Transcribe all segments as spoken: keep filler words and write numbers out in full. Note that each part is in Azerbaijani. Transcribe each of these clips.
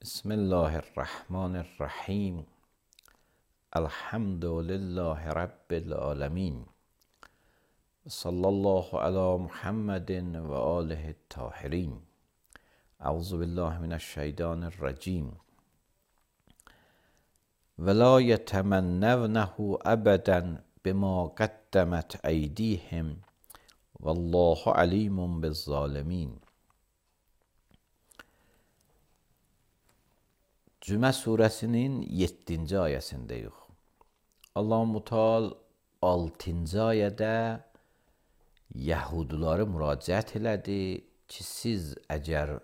Bismillahirrahmanirrahim. Elhamdülillahi Rabbil alemin. Sallallahu ala Muhammedin ve alihi tahirin. Euzu billahi mineşşeytanirracim. Ve la yetemennevnehu ebeden bima qaddemet eydihim. Vallahu alimun bizzalimin. Cümə surəsinin yeddinci ayəsindəyik. Allah-u Teala altıncı ayədə Yahudiləri müraciət elədi ki, siz əgər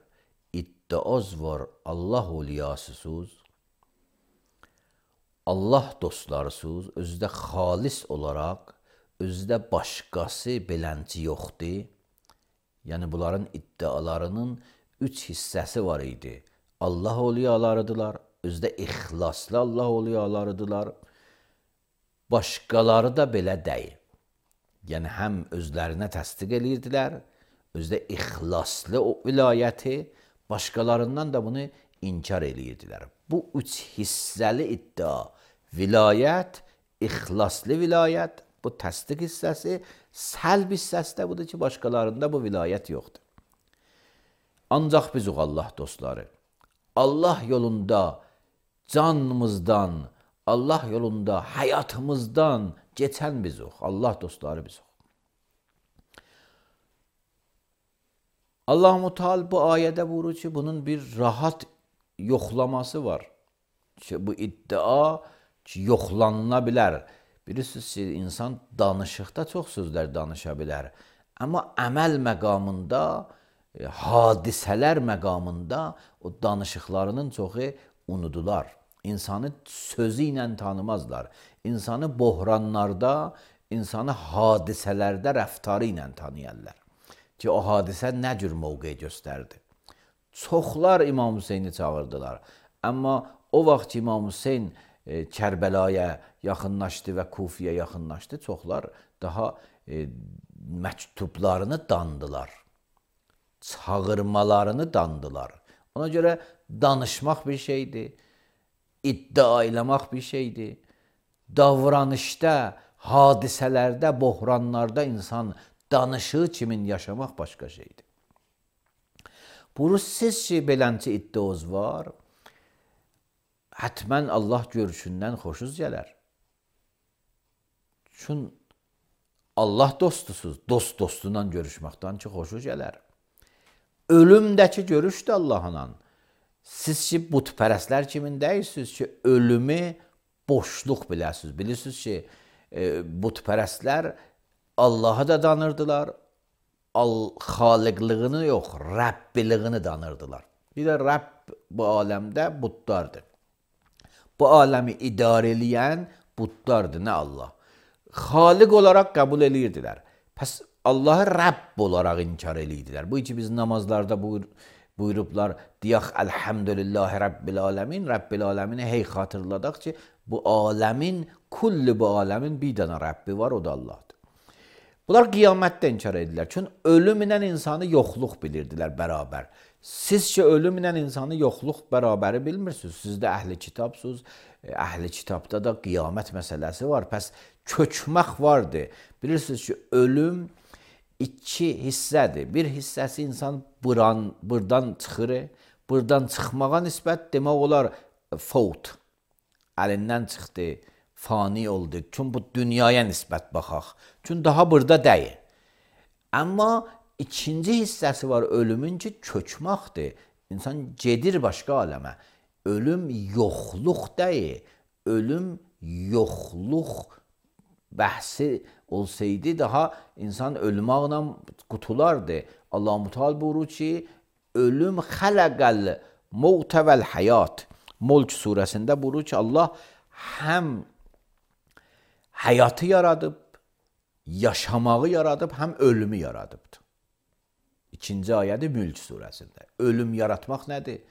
iddiaz var Allah oliyasısınız, Allah dostlarısınız, özdə xalis olaraq, özdə başqası belənci yoxdur. Yəni, bunların iddialarının üç hissəsi var idi. Allah oliyalarıdılar, özdə ixlaslı Allah oliyalarıdılar. Başqaları da belə deyil. Yəni, həm özlərinə təsdiq edirdilər, özdə ixlaslı o vilayəti, başqalarından da bunu inkar edirdilər. Bu üç hissəli iddia, vilayət, ixlaslı vilayət, bu təsdiq hissəsi, səlb hissəsi də budur ki, başqalarında bu vilayət yoxdur. Ancaq bizuq Allah dostları, Allah yolunda canımızdan, Allah yolunda həyatımızdan keçən bizuq, Allah dostları bizuq. Allah-u Teala bu ayədə buyurur ki, bunun bir rahat yoxlaması var. Ki, bu iddia ki, yoxlanıla bilər. Bilirsiniz ki, insan danışıqda çox sözlər danışa bilər. Amma əməl məqamında, hadisələr məqamında o danışıqlarının çoxu unudular. İnsanı sözü ilə tanımazlar. İnsanı bohranlarda, insanı hadisələrdə rəftarı ilə tanıyarlar. Ki, o hadisə nə cür mövqe göstərdi. Çoxlar İmam Hüseyni çağırdılar. Amma o vaxt İmam Hüseyn e, Kərbəlaya yaxınlaşdı və Kufiyə yaxınlaşdı. Çoxlar daha e, məktublarını dandılar. Çağırmalarını dandılar. Ona görə danışmaq bir şeydir, iddia eləmək bir şeydir. Davranışda, hadisələrdə, bohranlarda insan danışığı kimin yaşamaq başqa şeydir. Buyurur, siz ki, belənci iddiaz var, hətmən Allah görüşündən xoşuz gələr. Çünki Allah dostusuz, dost dostundan görüşməkdən ki, xoşuz gələr. Ölümdəki görüşdür Allahla. Siz ki, butpərəslər kimin deyirsiniz ki, ölümü boşluq biləsiniz. Bilirsiniz ki, e, butpərəslər Allah'ı da danırdılar, xaliqlığını yox, Rəbbilığini danırdılar. Bir də Rəbb bu aləmdə buddardır. Bu aləmi idarə eləyən buddardır, nə Allah. Xaliq olaraq qəbul edirdilər. Pəs Allah'ı Rəbb olaraq inkar edirdilər. Bu iki biz namazlarda buyur, buyurublar, deyək, Elhamdülillahi Rabbil alemin, Rabbil alemini hey xatırladaq ki, bu aləmin, kulli bu aləmin bir dənə Rəbbi var, o da Allah'dır. Bunlar qiyamətdə inkar edirlər. Çünki ölümlə insanı yoxluq bilirdilər bərabər. Siz ki, ölümlə insanı yoxluq bərabəri bilmirsiniz. Siz də əhli kitabsınız. Əhli kitabda da qiyamət məsələsi var. Pəs köçmək vardır. Bilirsiniz ki, ölüm iki hissədir. Bir hissəsi insan buran, buradan çıxır. Buradan çıxmağa nisbət demək olar fovt. Əlindən çıxdı. Fani oldu. Çünki bu dünyaya nisbət baxaq. Çünki daha burada deyil. Amma ikinci hissəsi var ölümün ki, köçməkdir. İnsan gedir başqa aləmə. Ölüm yoxluq deyil. Ölüm yoxluq bəhsi olsaydı daha insan ölməklə qutulardı. Allah-u Teala buyurur ki, ölüm xələqəl mevtə vəl həyat. Mulk surəsində buyurur ki, Allah həm həyatı yaradıb, yaşamağı yaradıb, həm ölümü yaradıbdır. İkinci ayədir Mülk surəsində. Ölüm yaratmaq nədir?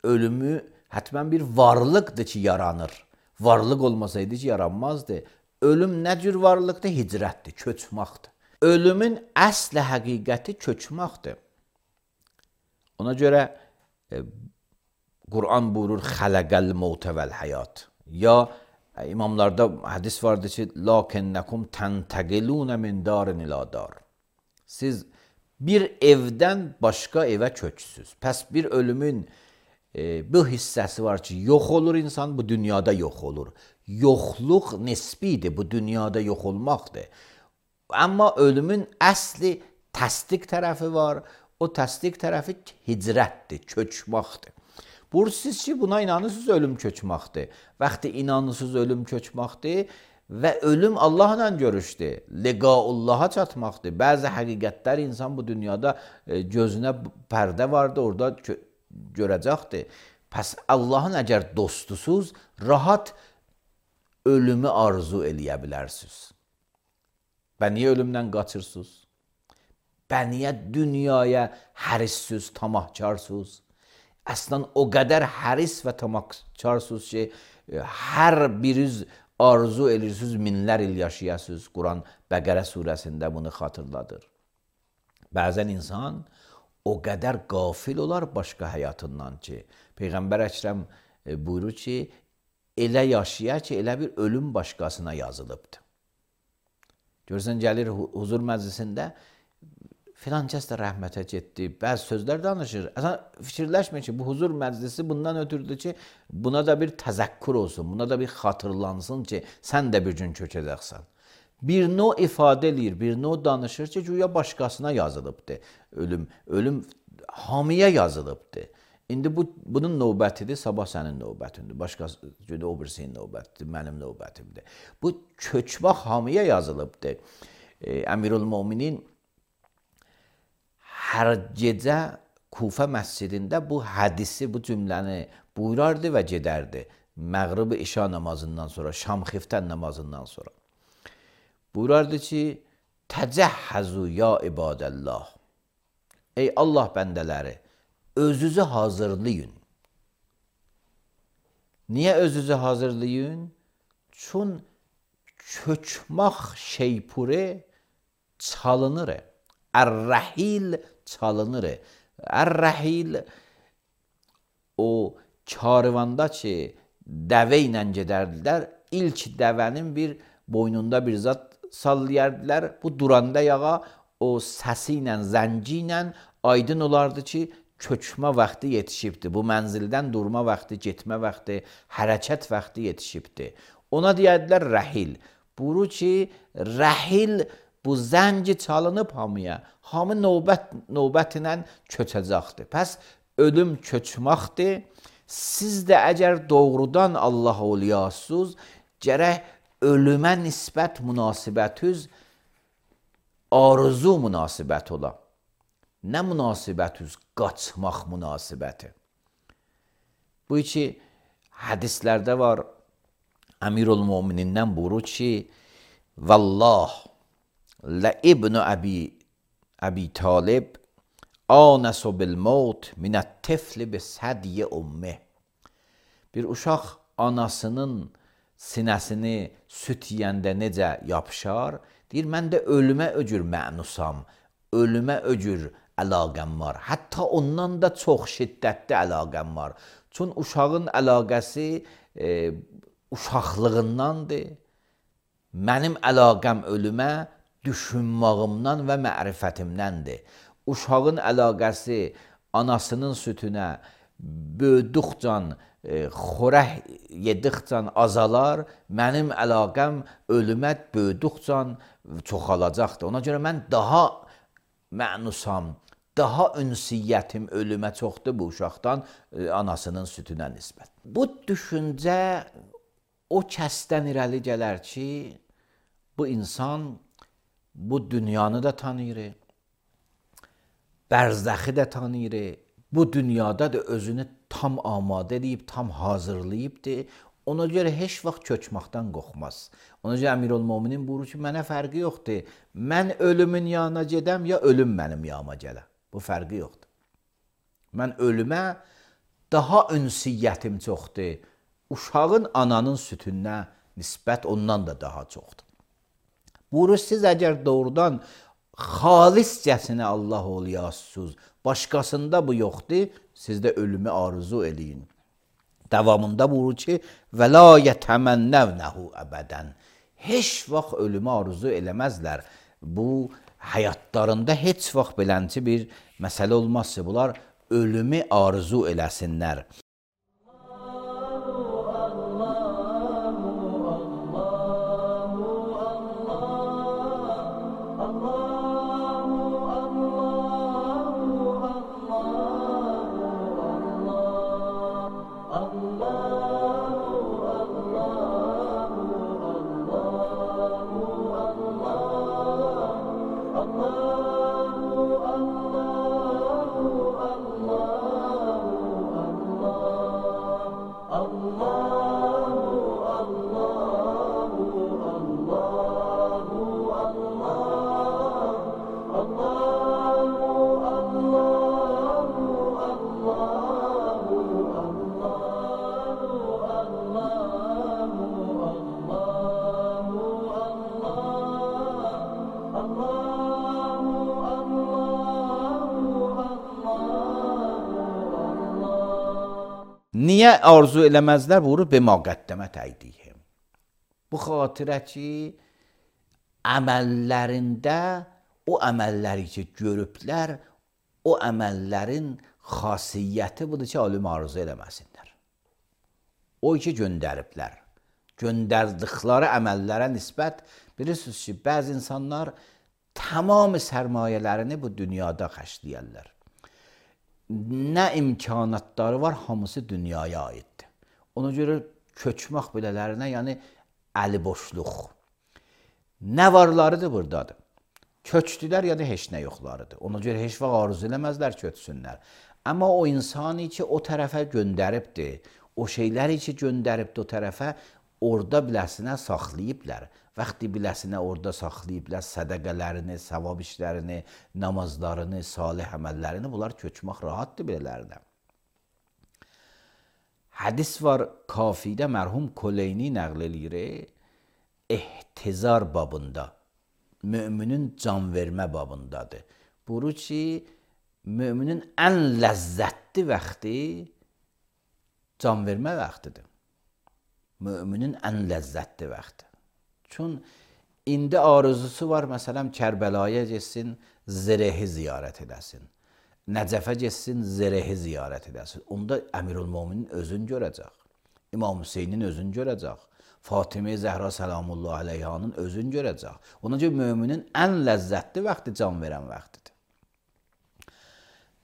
Ölümü hətmən bir varlıqdır ki, yaranır. Varlıq olmasaydı ki, yaranmazdı. Ölüm nə cür varlıqdır? Hicrətdir, köçməkdir. Ölümün əsl həqiqəti köçməkdir. Ona görə e, Kur'an buyurur xalaqal mevte vel hayat. Ya imamlarda hadis vardır ki lakinnekum tentaqilun min darin ila dar. Siz bir evden başka eve köçsüz. Pes bir ölümün e, bu hissesi var ki yok olur insan, bu dünyada yok olur. Yokluk nisbidir, bu dünyada yok olmaktır. Ama ölümün asli tasdik tarafı var. O tasdik tarafı hicrettir, köçmektir. Bu siz ki buna inanırsınız ölüm köçməkdir. Vaxtı inanırsınız ölüm köçməkdir və ölüm Allahla görüşdür. Liqaullaha çatmaqdır. Bəzi həqiqətlər insan bu dünyada gözünə pərdə vardı, orada görəcəkdir. Pəs Allahın əgər dostusuz, rahat ölümü arzu eləyə bilərsiniz. Və niyə ölümdən qaçırsınız? Və niyə dünyaya hərissiz, tamahkarsınız? Əslən o qədər həris və tamahkarsınız ki, hər biriniz arzu edirsiniz, minlər il yaşayasınız. Quran Bəqərə surəsində bunu xatırladır. Bəzən insan o qədər qafil olar başqa həyatından ki, Peyğəmbər Əkrəm buyurur ki, elə yaşayar ki, elə bir ölüm başqasına yazılıbdır. Görürsən, gəlir huzur məclisində, filan kəs də rəhmətə getdi, bəzi sözlər danışır. Əslən, fikirləşmir ki, bu huzur məclisi bundan ötürdür ki, buna da bir təzəkkür olsun, buna da bir xatırlansın ki, sən də bir gün köçəcəksən. Bir növ ifadə eləyir, bir növ danışır ki, güya başqasına yazılıbdır ölüm. Ölüm hamıya yazılıbdır. İndi bu, bunun növbətidir, sabah sənin növbətindir. Başqası gündə o birisinin növbətidir, mənim növbətimdir. Bu köçmək hamıya yazılıbdır. E, Əmirül-Möminin hər gecə Kufə məscidində bu hədisi, bu cümləni buyurardı və gedərdi. Məğrib-i işa namazından sonra, şam xiftən namazından sonra. Buyurardı ki, təcəhhəzu ya ibadəllah. Ey Allah bəndələri, özünüzü hazırlayın. Niyə özünüzü hazırlayın? Çün köçmək şeypuri çalınır. Ər-rəhil çalınır. Ər-rəhil o karvanda ki, dəvə ilə gedərdilər, ilk dəvənin bir boynunda bir zat sallayardılar. Bu duranda yağa o səsi ilə, zənci ilə aydın olardı ki, köçmə vaxtı yetişibdir. Bu mənzildən durma vaxtı, getmə vaxtı, hərəkət vaxtı yetişibdir. Ona deyədilər rəhil. Buyurur ki, rəhil bu zənci çalınıb hamıya. Hamı növbət, növbətinə köçəcəkdir. Pəs ölüm köçməkdir. Siz də əgər doğrudan Allah oluyasınız, gərək ölümə nisbət münasibətiniz arzu münasibət ola. Nə münasibətiniz? Qaçmaq münasibəti. Bu iki hədislərdə var. Əmirül-Möminindən buyurur ki, Vallah, lə ibn-i Əbi, Əbi Talib, anəsu bil-mevt minət-tifli bis-hədiyə ümmih. Bir uşaq anasının sinəsini süt yiyəndə necə yapışar, deyir, mən də ölümə öcür mənusam, ölümə öcür əlaqəm var. Hətta ondan da çox şiddətli əlaqəm var. Çünki uşağın əlaqəsi e, uşaqlığındandır. Mənim əlaqəm ölümə düşünmağımdan və mərifətimdəndir. Uşağın əlaqəsi anasının sütünə böyüdükcan, e, xorək yedikcan azalar, mənim əlaqəm ölümə böyüdükcan çoxalacaqdır. Ona görə mən daha mənusam, daha ünsiyyətim ölümə çoxdur bu uşaqdan, e, anasının sütünə nisbət. Bu düşüncə o kəsdən irəli gələr ki, bu insan bu dünyanı da tanıyır, bərzəxi də tanıyır, bu dünyada da özünü tam amadə edib, tam hazırlayıbdır. Ona görə heç vaxt köçməkdən qorxmaz. Ona görə Əmirül-Möminin buyurur ki, mənə fərqi yoxdur. Mən ölümün yanına gedəm, ya ölüm mənim yanıma gələ. Bu fərqi yoxdur. Mən ölümə daha ünsiyyətim çoxdur. Uşağın ananın sütünə nisbət ondan da daha çoxdur. Buyurur, siz əgər doğrudan xaliscəsinə Allah oluyasınız, başqasında bu yoxdur, siz də ölümü arzu eləyin. Davamında buyurur ki, və la yətəmənnəvnəhu əbədən. Heç vaxt ölümü arzu eləməzlər. Bu, həyatlarında heç vaxt belənci bir məsələ olmazsa, bunlar ölümü arzu eləsinlər. Niyə arzu eləməzlər? Vurur bima qəddəmət əydihim. Bu xatirə ki, əməllərində o əməlləri ki görüblər, o əməllərin xasiyyəti budur ki, ölümü arzu eləməsinlər. O ki göndəriblər. Göndərdikləri əməllərə nisbət, bilirsiniz ki, bəzi insanlar tamamı sərmayələrini bu dünyada xərcləyərlər. Nə imkanatları var, hamısı dünyaya aiddir. Ona görə köçmək bilələrinə, yəni əli boşluq. Nə varlarıdır buradadır. Köçdülər, yəni heç nə yoxlarıdır. Ona görə heç vaxt arzu eləməzlər köçsünlər. Amma o insanı ki, o tərəfə göndəribdir, o şeyləri ki, göndəribdir o tərəfə, orada biləsinə saxlayıblar. Vaxtı biləsinə orada saxlayıblar sədəqələrini, savab işlərini, namazlarını, salih əməllərini, bunlar köçmək rahatdır belələrinə. Hədis var Kafidə, mərhum Koleyni nəql eləyir, ehtizar babında, müminin can vermə babındadır. Buyurur ki, müminin ən ləzzətli vaxtı can vermə vaxtıdır. Müminin ən ləzzətli vaxtı. Çün indi arzusu var, məsələn, Kərbəlaya getsin, Zərehi ziyarət edəsin. Nəcəfə getsin, Zərehi ziyarət edəsin. Onda Əmirülmöminin özünü görəcək. İmam Hüseynin özünü görəcək. Fatimə Zəhra Səlamullah Aleyhanın özünü görəcək. Ona görə müminin ən ləzzətli vaxtı can verən vaxtıdır.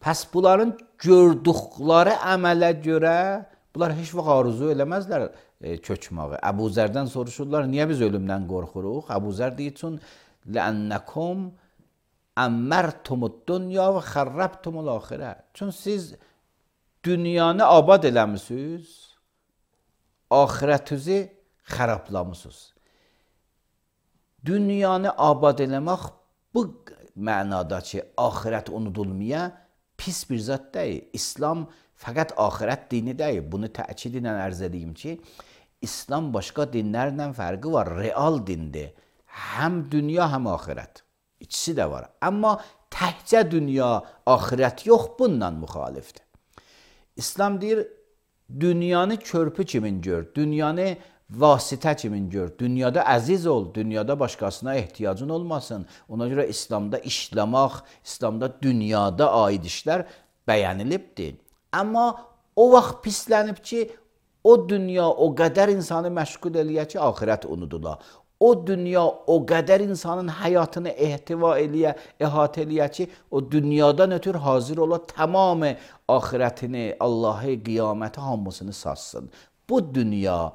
Pəs bunların gördükləri əmələ görə bunlar heç vaxt arzu eləməzlər köçməyi. Əbu Zərdən soruşurlar, niyə biz ölümdən qorxuruq? Əbu Zər deyir, çün لأنكم أمرتم الدنيا و خربتم الآخرة. Çün siz dünyanı abad eləmisiniz, ahirətinizi xərablamısınız. Dünyanı abad eləmək bu mənada ki, ahirət unudulmaya pis bir zat deyil. İslam fəqət ahirət dini deyil. Bunu təkid ilə ərz edeyim ki, İslam başqa dinlərlə fərqi var. Real dindir. Həm dünya, həm ahirət. İkisi də var. Amma təkcə dünya, ahirət yox, bundan müxalifdir. İslam deyir, dünyanı körpü kimin gör, dünyanı vasitə kimin gör, dünyada əziz ol, dünyada başqasına ehtiyacın olmasın. Ona görə İslamda işləmək, İslamda dünyada aid işlər bəyənilibdir. Amma o vaxt pislənib ki, o dünya o qədər insanı məşğul eləyə ki, ahirət unudula. O dünya o qədər insanın həyatını ehtiva eləyə, əhatə eləyə ki, o dünyadan ötür hazır ola, tamamı ahirətini, Allahı, qiyaməti hamısını satsın. Bu dünya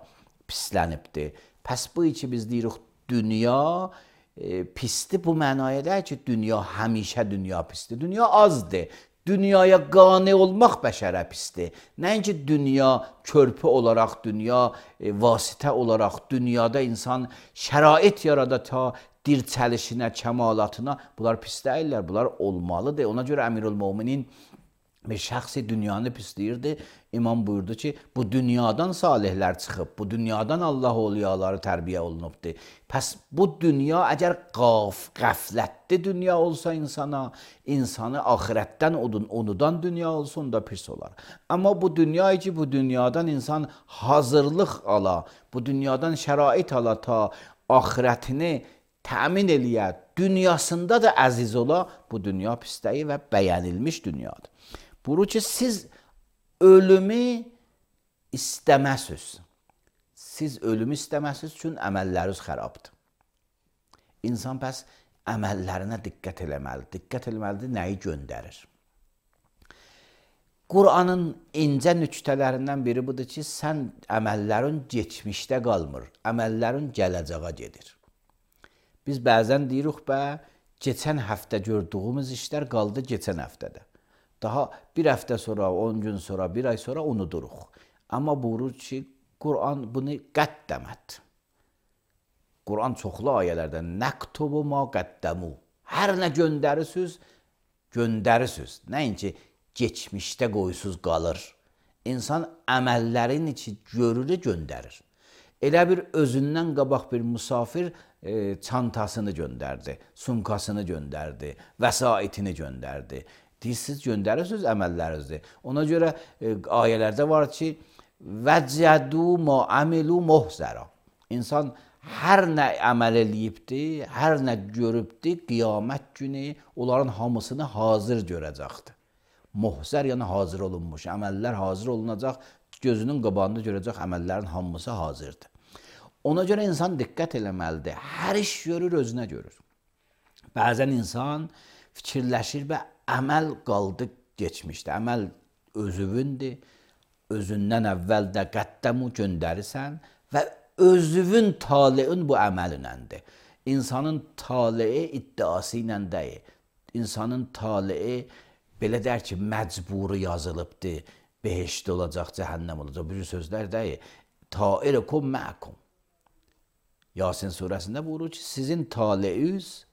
pislənibdir. Pəs bu ki biz deyirik, dünya e, pisdir, bu mənaya deyil ki, dünya həmişə dünya pisdir. Dünya azdır. Dünyaya qane olmaq bəşərə pisdir. Nəinki dünya körpü olaraq, dünya e, vasitə olaraq, dünyada insan şərait yarada ta dirçəlişinə, kəmalatına, bunlar pis deyirlər, bunlar olmalıdır. Ona görə Əmirülmöminin bir şəxsi dünyanı pisləyirdi. İmam buyurdu ki, bu dünyadan salihlər çıxıb, bu dünyadan Allah oliyaları tərbiyə olunubdur. Pəs bu dünya əgər qaf, qəflətli dünya olsa insana, insanı axirətdən unudan dünya olsa, onda pis olar. Amma bu dünya ki, bu dünyadan insan hazırlıq ala, bu dünyadan şərait ala ta axirətini təmin eləyə, dünyasında da əziz ola, bu dünya pisliyi və bəyənilmiş dünyadır. Buyurur ki, siz ölümü istəməsiz. Siz ölümü istəməsiz üçün əməlləriniz xərabdır. İnsan bəs əməllərinə diqqət eləməlidir. Diqqət eləməlidir, nəyi göndərir. Qur'anın incə nüktələrindən biri budur ki, sən əməllərin geçmişdə qalmır, əməllərin gələcəyə gedir. Biz bəzən deyirik, bə, keçən həftə gördüyümüz işlər qaldı keçən həftədə. Daha bir həftə sonra, on gün sonra, bir ay sonra unuduruq. Amma buyurur ki, Qur'an bunu qəddəmət. Qur'an çoxlu ayələrdə nəktubu ma qəddəmu. Hər nə göndərisiniz, göndərisiniz. Nəinki geçmişdə qoyusuz qalır. İnsan əməllərin içi görür, göndərir. Elə bir özündən qabaq bir musafir e, çantasını göndərdi, sumkasını göndərdi, vəsaitini göndərdi. Siz göndərirsiniz əməllərinizdir. Ona görə e, ayələrdə var ki, vəcədu ma amilu muhzara. İnsan hər nə əməl eləyibdi, hər nə görübdi, qiyamət günü onların hamısını hazır görəcəkdir. Muhzər yəni hazır olunmuş, əməllər hazır olunacaq, gözünün qabağında görəcək əməllərin hamısı hazırdır. Ona görə insan diqqət eləməlidir. Hər iş görür, özünə görür. Bəzən insan fikirləşir və əməl qaldı geçmişdə. Əməl özüvündür. Özündən əvvəl də qəddəmu göndərirsən və özüvün taleyin bu əməlinəndir. İnsanın taleyi iddiası ilə deyil. İnsanın taleyi belə der ki, məcburi yazılıbdır. Behişdə olacaq, cəhənnəm olacaq. Bir sözlər deyil. Tairikum məkum. Yasin surəsində buyurur ki, sizin taleyiniz,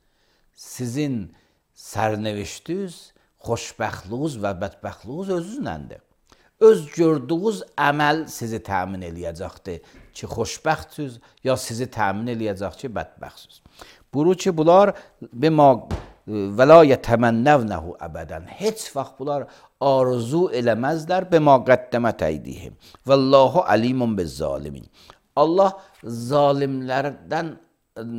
sizin sərnevişdiniz, xoşbəxtliğiniz və bədbəxtliğiniz özünəndir. Öz gördüyünüz əməl sizi təmin eləyəcəkdir ki, xoşbəxtsiz, ya sizi təmin eləyəcək ki, bədbəxtsiz. Buyurur ki, bunlar bima və la yətəmənnəvnəhu əbədən. Heç vaxt bunlar arzu eləməzlər bima qəddəmət əydihim. Vallahu alimun bizzalimin. Allah zalimlərdən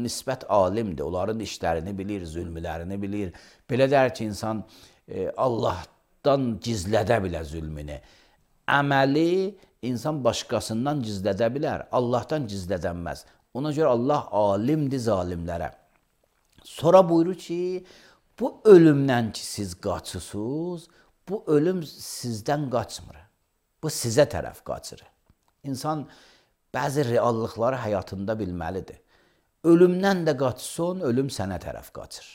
nisbət alimdir. Onların işlərini bilir, zülmlərini bilir. Belə der ki, insan e, Allahdan gizlədə bilər zülmünü. Əməli insan başqasından gizlədə bilər, Allahdan gizlədənməz. Ona görə Allah alimdir zalimlərə. Sonra buyurur ki, bu ölümdən ki siz qaçısınız, bu ölüm sizdən qaçmır. Bu sizə tərəf qaçır. İnsan bəzi reallıqları həyatında bilməlidir. Ölümdən də qaçsın, ölüm sənə tərəf qaçır.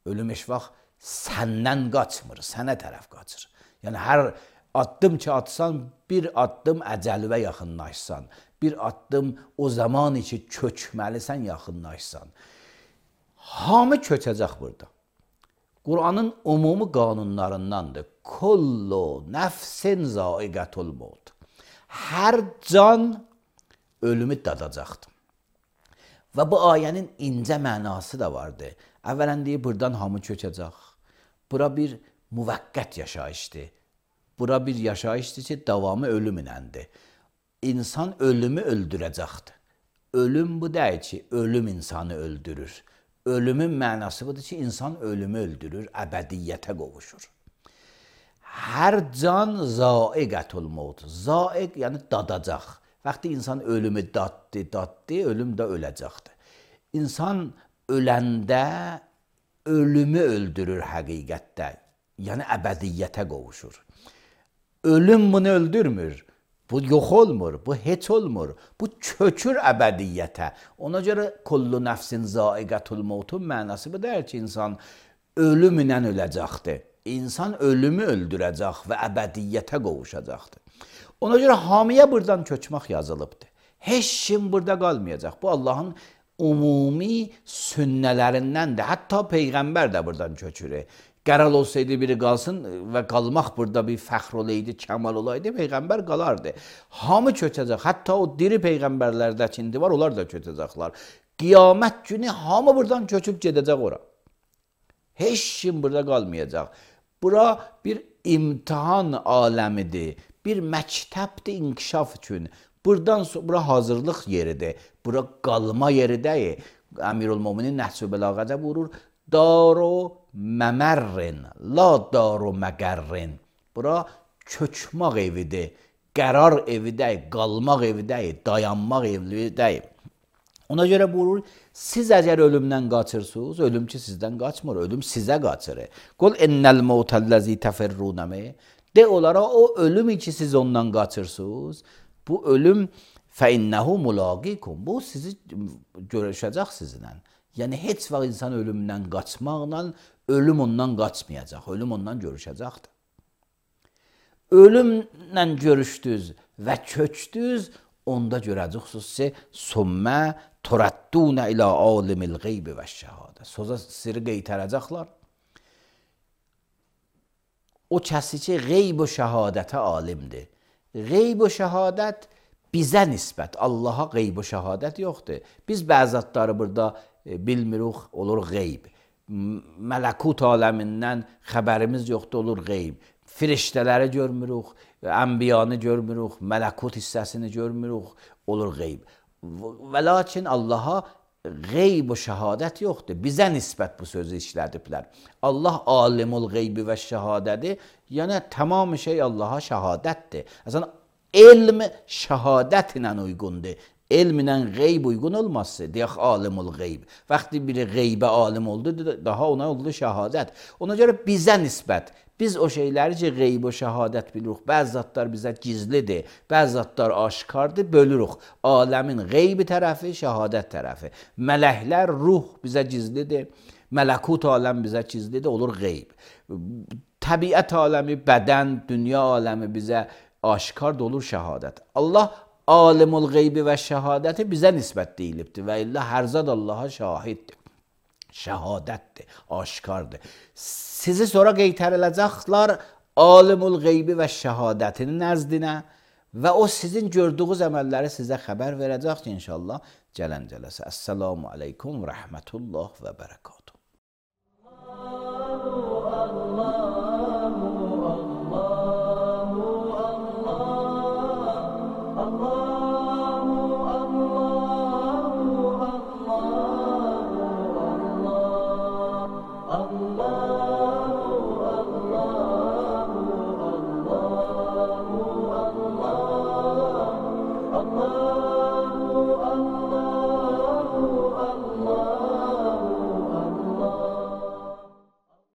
Ölüm heç vaxt səndən qaçmır, sənə tərəf qaçır. Yəni, hər addım ki atsan, bir addım əcəliyə yaxınlaşsan, bir addım o zaman ki kökməlisən, yaxınlaşsan. Hamı köçəcək burada. Qur'anın umumi qanunlarındandır. Kullu nəfsin zaiqətul maut. Hər can ölümü dadacaqdır. Və bu ayənin incə mənası da vardır. Əvvələn deyir, buradan hamı köçəcək. Bura bir müvəqqət yaşayışdır. Bura bir yaşayışdır ki, davamı ölümünəndir. İnsan ölümü öldürəcəkdir. Ölüm bu deyil ki, ölüm insanı öldürür. Ölümün mənası budur ki, insan ölümü öldürür, əbədiyyətə qovuşur. Hər can zaiqətul maut. Zaiq yəni dadacaq. Vaxtı insan ölümü daddı, daddı, ölüm də öləcəkdir. İnsan öləndə ölümü öldürür həqiqətdə. Yəni əbədiyyətə qovuşur. Ölüm bunu öldürmür. Bu yox olmur, bu heç olmur. Bu kökür əbədiyyətə. Ona görə kullu nəfsin zaiqətul mautun mənası bu deyir ki, insan ölümlə öləcəkdir. İnsan ölümü öldürəcək və əbədiyyətə qovuşacaqdır. Ona görə hamiyə buradan köçmək yazılıbdır. Heç kim burada qalmayacaq. Bu Allahın umumi sünnələrindəndir. Hətta Peyğəmbər də buradan köçür. qərar olsaydı biri qalsın və qalmaq burada bir fəxr olaydı, kəmal olaydı, Peyğəmbər qalardı. Hamı köçəcək. Hətta o diri Peyğəmbərlərdə indi var, onlar da köçəcəklər. Qiyamət günü hamı buradan köçüb gedəcək ora. Heç kim burada qalmayacaq. Bura bir imtihan aləmidir. Bir məktəbdir inkişaf üçün. Buradan sonra bura hazırlıq yeridir. Bura qalma yeri deyil. Əmirülmöminin Nəhcü Bəlağədə buyurur: Daru məmərrin, la daru məqərrin. Bura köçmək evidir. Qərar evi deyil, qalmaq evi deyil, dayanmaq evi deyil. Ona görə buyurur, siz əgər ölümdən qaçırsınız, ölüm ki sizdən qaçmır, ölüm sizə qaçır. Qul innəl mevtəl-ləzi təfirrunəmi. De onlara, o ölüm ki siz ondan qaçırsınız, bu ölüm fəinnəhu mulaqikum. Bu sizi görüşəcək sizinlə. Yəni heç vaxt insan ölümdən qaçmaqla ölüm ondan qaçmayacaq, ölüm ondan görüşəcəkdir. Ölümlə görüşdünüz və köçdünüz, onda görəcəksiniz ki, sümmə turaddunə ilə alimil qeybi və şəhadə. Söza siri qeytərəcəklər. O kəsi ki, qeyb və şəhadətə alimdir. Qeyb və şəhadət bizə nisbət, Allaha qeyb və şəhadət yoxdur. Biz bəzatları burada bilmirik, olur qeyb. Mələkut aləmindən xəbərimiz yoxdur, olur qeyb. Firiştələri görmürük, ənbiyanı görmürük, mələkut hissəsini görmürük, olur qeyb. Və lakin Allaha qeyb və şəhadət yoxdur. Bizə nisbət bu sözü işlədiblər. Allah alimul qeybi və şəhadədir. Yəni tamam şey Allaha şəhadətdir. Əslən, elm şəhadət ilə uyğundur. Elmlə qeyb uyğun olmazsa, deyək alimul qeyb. Vaxtı biri qeybə alim oldu, daha ona oldu şəhadət. Ona görə bizə nisbət, biz o şeyləri ki, qeyb və şəhadət bilirik. Bəzi zatlar bizə gizlidir, bəzi zatlar aşkardır, bölürük. Aləmin qeybi tərəfi, şəhadət tərəfi. Mələklər, ruh bizə gizlidir, mələkut aləm bizə gizlidir, olur qeyb. Təbiət aləmi, bədən, dünya aləmi bizə aşkardır, olur şəhadət. Allah alimul qeybi və şəhadəti bizə nisbət deyilibdir və illə hər zad Allaha şahiddir, şəhadətdir, aşkardır. Sizi sonra qeytəriləcəklər alimul qeybi və şəhadətinin nəzdinə və o sizin gördüyünüz əməlləri sizə xəbər verəcək ki, inşallah gələn cələsə. Əssəlamu aleykum və rəhmətullah və bərəkət.